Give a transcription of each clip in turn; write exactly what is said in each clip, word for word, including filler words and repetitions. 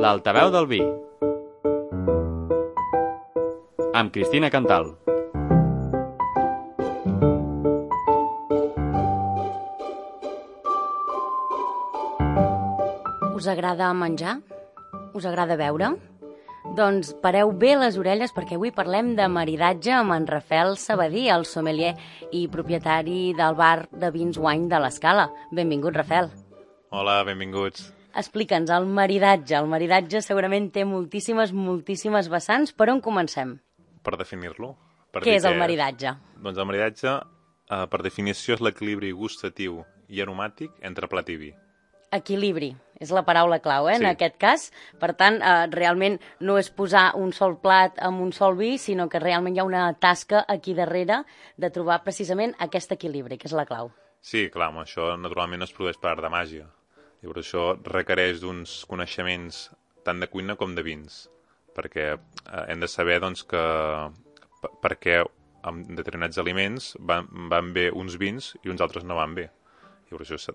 L'altaveu del vi. Amb Cristina Cantal. Us agrada menjar? Us agrada beure? Doncs pareu bé les orelles perquè avui parlem de maridatge amb en Rafael Sabadí, el sommelier i propietari del bar de vins Wine de l'Escala. Benvingut, Rafael. Hola, benvinguts. Explica'ns, el maridatge. El maridatge segurament té moltíssimes, moltíssimes vessants. Per on comencem? Per definir-lo. Per Què dir és el maridatge? És. Doncs el maridatge, eh, per definició, és l'equilibri gustatiu i aromàtic entre plat i vi. Equilibri, és la paraula clau, eh, Sí. en aquest cas. Per tant, eh, realment no és posar un sol plat amb un sol vi, sinó que realment hi ha una tasca aquí darrere de trobar precisament aquest equilibri, que és la clau. Sí, clar, amb això naturalment no es produeix per art de màgia. Llavors això requereix d'uns coneixements tant de cuina com de vins, perquè eh, hem de saber doncs, que per, per què amb determinats aliments van, van bé uns vins i uns altres no van bé. Llavors això,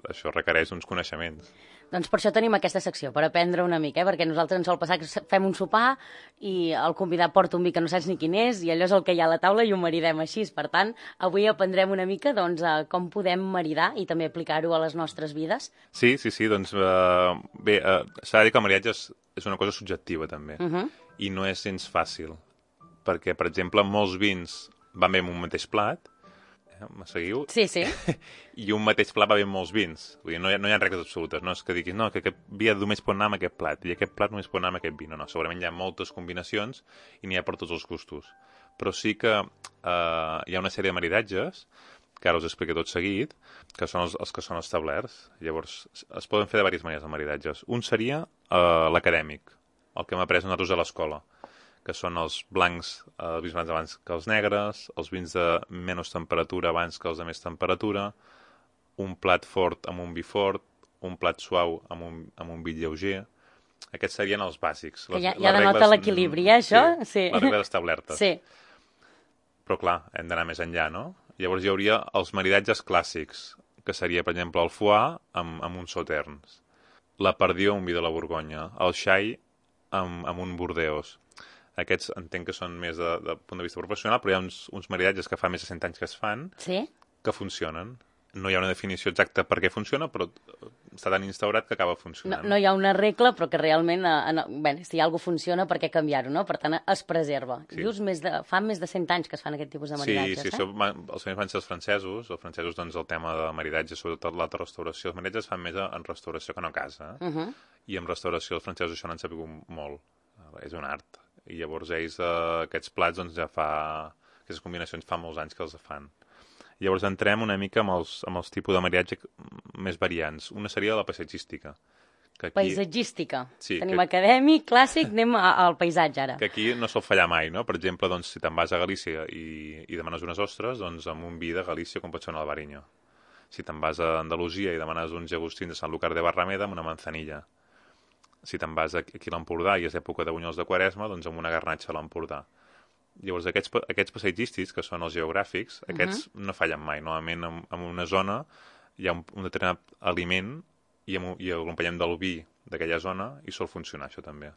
això requereix uns coneixements. Doncs per això tenim aquesta secció, per aprendre una mica, eh? Perquè nosaltres ens sol passar que fem un sopar i el convidat porta un vi que no saps ni quin és i allò és el que hi ha a la taula i ho maridem així. Per tant, avui aprendrem una mica doncs, a com podem maridar i també aplicar-ho a les nostres vides. Sí, sí, sí, doncs uh, bé, uh, s'ha de dir que el maridatge és, és una cosa subjectiva també, Uh -huh. i no és gens fàcil, perquè, per exemple, molts vins van bé amb un mateix plat, eh, me seguiu? Sí, sí. I un mateix plat va bé amb molts vins. Vull dir, no hi ha, no hi ha regles absolutes, no és que diguis no, que aquest vi només pot anar amb aquest plat i aquest plat només pot anar amb aquest vi. No, no, segurament hi ha moltes combinacions i n'hi ha per tots els gustos. Però sí que eh, hi ha una sèrie de maridatges, que ara us explico tot seguit, que són els, els que són establerts. Llavors, es poden fer de diverses maneres, els maridatges. Un seria eh, l'acadèmic, el que hem après nosaltres a l'escola, que són els blancs, eh, els vins blancs abans que els negres, els vins de menys temperatura abans que els de més temperatura, un plat fort amb un vi fort, un plat suau amb un, amb un vi lleuger. Aquests serien els bàsics. Que ja, ja denota l'equilibri, eh, això? Sí, Sí. les regles establertes. Sí. Però clar, hem d'anar més enllà, no? Llavors hi hauria els maridatges clàssics, que seria, per exemple, el foie amb, amb uns sauterns, la perdió, un vi de la Borgonya, el xai amb, amb un Bordeus. Aquests entenc que són més de, de punt de vista professional, però hi ha uns, uns maridatges que fa més de cent anys que es fan, Sí? que funcionen. No hi ha una definició exacta per què funciona, però està tan instaurat que acaba No, funcionant. no hi ha una regla, però que realment, eh, en, bé, si alguna funciona, per què canviar-ho, no? Per tant, es preserva. Sí. Dius, més de, fa més de cent anys que es fan aquest tipus de Sí, maridatges, sí, eh? això, va- els primers van ser els francesos. Els francesos, doncs, el tema de maridatge, sobretot l'alta restauració. Els maridatges fan més en restauració que no a casa. Eh? Uh -huh. I en restauració els francesos això n'han sabut molt. És un art. I llavors ells, eh, aquests plats, doncs, ja fa... Aquestes combinacions fa molts anys que els fan. Llavors entrem una mica amb els, amb els tipus de maridatge més variants. Una seria la paisatgística. Que aquí, Paisatgística. Sí, Tenim que- acadèmic, clàssic, anem a- al paisatge ara. que aquí no sol fallar mai, no? Per exemple, doncs, si te'n vas a Galícia i, i demanes unes ostres, doncs amb un vi de Galícia com pot ser un albariño. Si te'n vas a Andalusia i demanes uns llagostins de Sant Lucar de Barrameda amb una manzanilla. Si te'n vas aquí a l'Empordà i és època de bunyols de Quaresma, doncs amb una garnatxa a l'Empordà. Llavors, aquests, pa- aquests paisatgístics, que són els geogràfics, aquests no fallen mai. Normalment, en, en una zona hi ha un, un determinat aliment i, amb, un- i l'acompanyem del vi d'aquella zona i sol funcionar això també.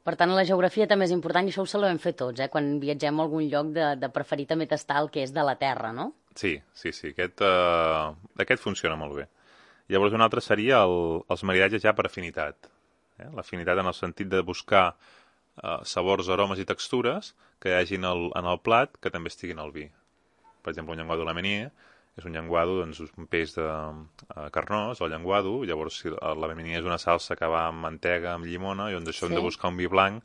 Per tant, la geografia també és important i això ho sabem fer tots, eh? Quan viatgem a algun lloc de, de preferir també tastar el que és de la terra, no? Sí, sí, sí. Aquest, uh, aquest funciona molt bé. Llavors, un altre seria el, els maridatges ja per afinitat. Eh? L'afinitat en el sentit de buscar uh, sabors, aromes i textures que hi hagin el, en el plat que també estiguin al vi. Per exemple, un llenguado de la Meunier és un llenguado, doncs, un peix de uh, carnós, el llenguado, llavors si la Meunier és una salsa que va amb mantega, amb llimona, i on d'això Sí. hem de buscar un vi blanc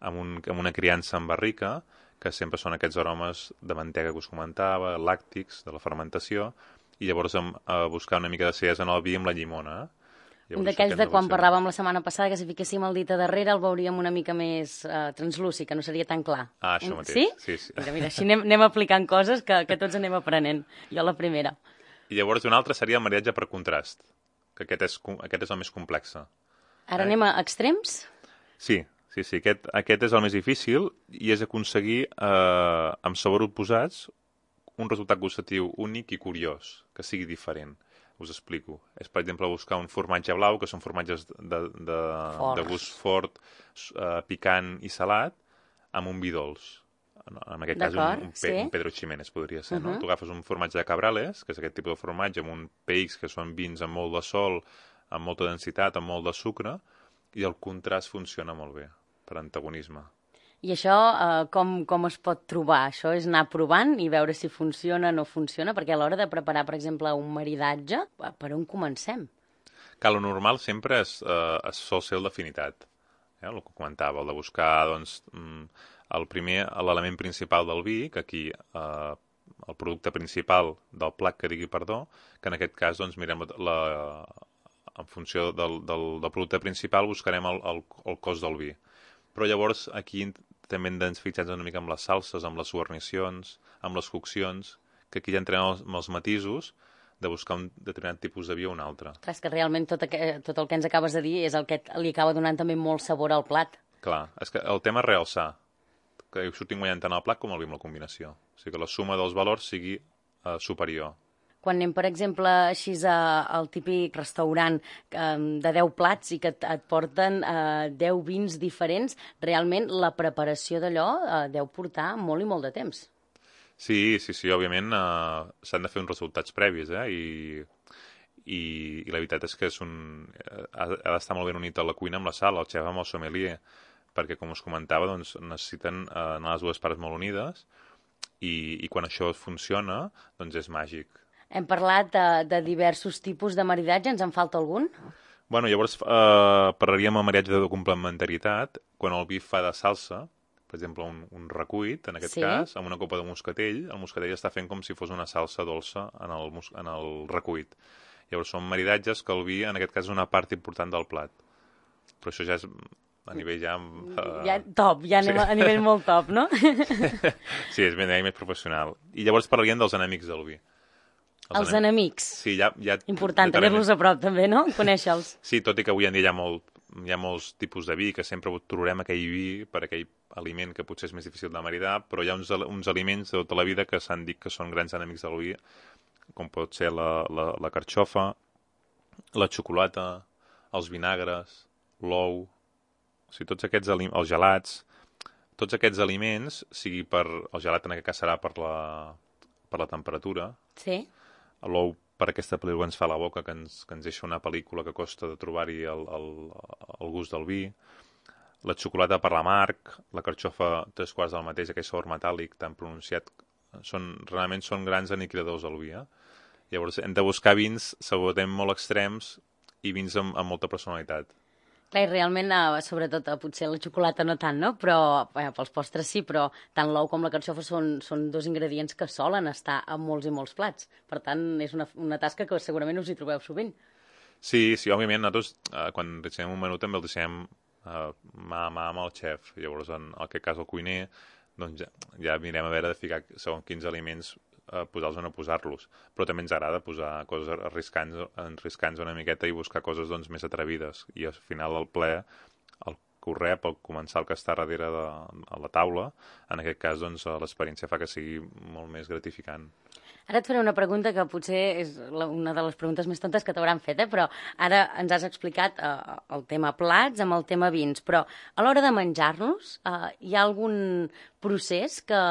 amb, un, amb una criança en barrica, que sempre són aquests aromes de mantega que us comentava, làctics, de la fermentació, i llavors hem, a buscar una mica de acidesa en el vi amb la llimona. Eh? Un Llavors, d'aquells això de hem quan buscar. parlàvem la setmana passada, que si fiquéssim el dit a darrere el veuríem una mica més eh, translúcid, que no seria tan clar. Ah, això Un- mateix. Sí? Sí, sí. Mira, mira, així anem, anem aplicant coses que, que tots anem aprenent. Jo la primera. I llavors un altre seria el maridatge per contrast, que aquest és, com- aquest és el més complex. Ara Eh? anem a extrems? Sí, sí, sí, aquest, aquest és el més difícil i és aconseguir, eh, amb sabors oposats, un resultat gustatiu únic i curiós, que sigui diferent. Us explico. És, per exemple, buscar un formatge blau, que són formatges de, de, de gust fort, uh, picant i salat, amb un vi dolç. En aquest cas, un, un, pe, sí. un Pedro Ximénez podria ser, no? Uh -huh. Tu agafes un formatge de Cabrales, que és aquest tipus de formatge, amb un P X, que són vins amb molt de sol, amb molta densitat, amb molt de sucre, i el contrast funciona molt bé, per antagonisme. I això eh, com, com es pot trobar? Això és anar provant i veure si funciona o no funciona? Perquè a l'hora de preparar, per exemple, un maridatge, per on comencem? Que lo normal sempre és, eh, es sol ser el d'afinitat. Eh? El que comentava, el de buscar, doncs, el primer, l'element principal del vi, que aquí eh, el producte principal del plat que digui perdó, que en aquest cas, doncs, mirem la, en funció del, del, del producte principal buscarem el, el, el cost del vi. Però llavors aquí també hem de fixar una mica amb les salses, amb les guarnicions, amb les coccions, que aquí ja entrem amb els, amb els matisos de buscar un determinat tipus de vi o un altre. Clar, és que realment tot, aqu tot el que ens acabes de dir és el que li acaba donant també molt sabor al plat. Clar, és que el tema és realçar, que surtin guanyant tant el plat com el vi amb la combinació. O sigui que la suma dels valors sigui eh, superior. Quan anem, per exemple, així a, al típic restaurant eh, de deu plats i que et, et porten eh, deu vins diferents, realment la preparació d'allò eh, deu portar molt i molt de temps. Sí, sí, sí, òbviament eh, s'han de fer uns resultats previs, eh, i, i, i la veritat és que és un, ha, ha d'estar molt ben unit a la cuina amb la sala, el xef amb el sommelier, perquè, com us comentava, doncs, necessiten eh, anar les dues parts molt unides i, i quan això funciona, doncs és màgic. Hem parlat de, de diversos tipus de maridatge, ens en falta algun? Bueno, llavors eh, parlaríem amb maridatge de complementarietat, quan el vi fa de salsa, per exemple, un, un recuit, en aquest sí. cas, amb una copa de moscatell, el moscatell està fent com si fos una salsa dolça en el, en el recuit. Llavors són maridatges que el vi, en aquest cas, és una part important del plat. Però això ja és a nivell ja... Uh... ja top, ja anem sí. a nivell molt top, no? Sí, és ben més professional. I llavors parlaríem dels enemics del vi. Els, els enemics. Sí, ja... ja important, tenir-los a prop també, no? Conèixer-los. Sí, tot i que avui en dia hi ha, molt, hi ha molts tipus de vi, que sempre trobarem aquell vi per aquell aliment que potser és més difícil de maridar, però hi ha uns, uns aliments de tota la vida que s'han dit que són grans enemics del vi, com pot ser la, la, la carxofa, la xocolata, els vinagres, l'ou, o sigui, tots aquests aliments, els gelats, tots aquests aliments, sigui per... El gelat en aquest cas serà per la, per la temperatura. Sí. L'ou per aquesta pel·lícula que ens fa la boca, que ens, que ens deixa una pel·lícula que costa de trobar-hi el, el, el gust del vi. La xocolata per l'amarg, la carxofa tres quarts del mateix, aquell sabor metàl·lic tan pronunciat, són, realment són grans aniquiladors del vi. Eh? Llavors hem de buscar vins, segurament molt extrems, i vins amb, amb molta personalitat. Clar, i realment, eh, sobretot, eh, potser la xocolata no tant, no? Però eh, pels postres sí, però tant l'ou com la carxofa són, són dos ingredients que solen estar en molts i molts plats. Per tant, és una, una tasca que segurament us hi trobeu sovint. Sí, sí, òbviament, nosaltres, eh, quan dissenyem un menú també el dissenyem eh, mà a mà amb el xef. Llavors, en aquest cas, el cuiner, doncs ja, ja mirem a veure de ficar segons quins aliments eh, posar-los o no posar-los. Però també ens agrada posar coses arriscants, arriscants una miqueta i buscar coses doncs, més atrevides. I al final el ple, el que ho rep, el comensal que està darrere de a la taula, en aquest cas doncs, l'experiència fa que sigui molt més gratificant. Ara et faré una pregunta que potser és la, una de les preguntes més tontes que t'hauran fet, eh? Però ara ens has explicat eh, el tema plats amb el tema vins, però a l'hora de menjar-los eh, hi ha algun procés que,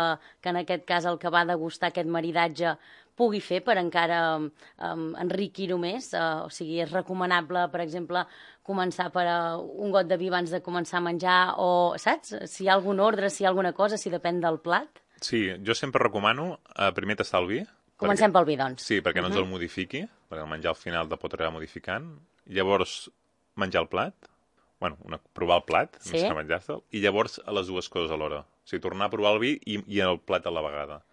que en aquest cas el que va degustar aquest maridatge pugui fer per encara um, enriquir-ho més? Uh, o sigui, és recomanable, per exemple, començar per uh, un got de vi abans de començar a menjar o, saps? Si hi ha algun ordre, si hi ha alguna cosa, si depèn del plat? Sí, jo sempre recomano uh, primer tastar el vi. Comencem perquè, pel vi, doncs. Sí, perquè no ens uh-huh. el modifiqui, perquè el menjar al final de pot arribar modificant. Llavors, menjar el plat, bueno, una, provar el plat, sí. més que menjar-se'l, i llavors a les dues coses alhora. O sigui, tornar a provar el vi i, i el plat a la vegada.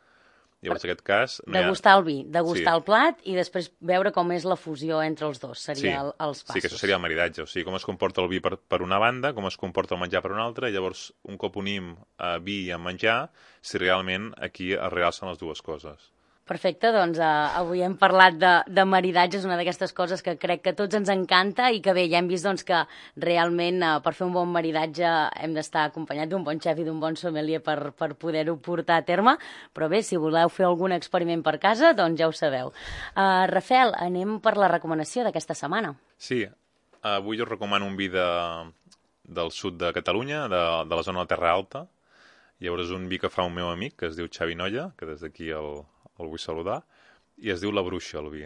Llavors, en aquest cas... No degustar ha... el vi, degustar sí. el plat i després veure com és la fusió entre els dos, seria sí. el, els passos. Sí, que això seria el maridatge, o sigui, com es comporta el vi per, per una banda, com es comporta el menjar per una altra, i llavors, un cop unim a vi i a menjar, si realment aquí es realcen les dues coses. Perfecte, doncs uh, avui hem parlat de, de maridatge, és una d'aquestes coses que crec que a tots ens encanta i que bé, ja hem vist doncs, que realment uh, per fer un bon maridatge hem d'estar acompanyat d'un bon xef i d'un bon sommelier per, per poder-ho portar a terme, però bé, si voleu fer algun experiment per casa, doncs ja ho sabeu. Uh, Rafel, anem per la recomanació d'aquesta setmana. Sí, avui us recomano un vi de, del sud de Catalunya, de, de la zona de Terra Alta. Llavors és un vi que fa un meu amic, que es diu Xavi Nolla, que des d'aquí el, el vull saludar, i es diu La Bruixa, el vi.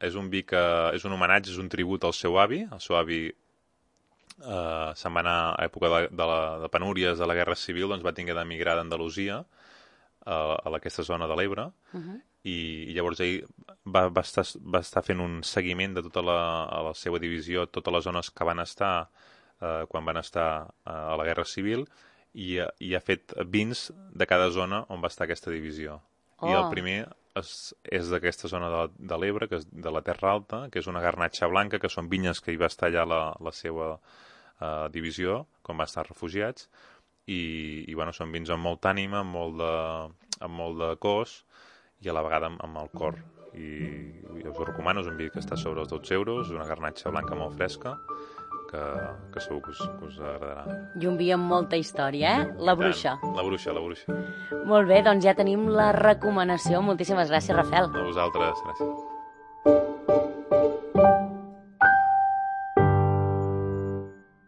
És un vi que és un homenatge, és un tribut al seu avi. El seu avi eh, se'n va anar a època de, de, la, de penúries de la Guerra Civil, doncs va tinguer d'emigrar d'Andalusia a, a aquesta zona de l'Ebre, uh-huh. i, i llavors ell va, va, estar, va estar fent un seguiment de tota la, a la seva divisió, totes les zones que van estar eh, quan van estar eh, a la Guerra Civil, i, i ha fet vins de cada zona on va estar aquesta divisió. Oh. I el primer és, és d'aquesta zona de, de l'Ebre, que és de la Terra Alta, que és una garnatxa blanca, que són vinyes que hi va estar allà la, la seva uh, divisió, quan va estar refugiats, i, i bueno, són vins amb molta ànima, amb molt de, amb molt de cos, i a la vegada amb, amb el cor. I, i us ho recomano, és un vi que està sobre els dotze euros, una garnatxa blanca molt fresca, que, que segur que us, que us agradarà. I un vi amb molta història, eh? La Bruixa. La Bruixa, la Bruixa. Molt bé, doncs ja tenim la recomanació. Moltíssimes gràcies, Rafel. A vosaltres, gràcies.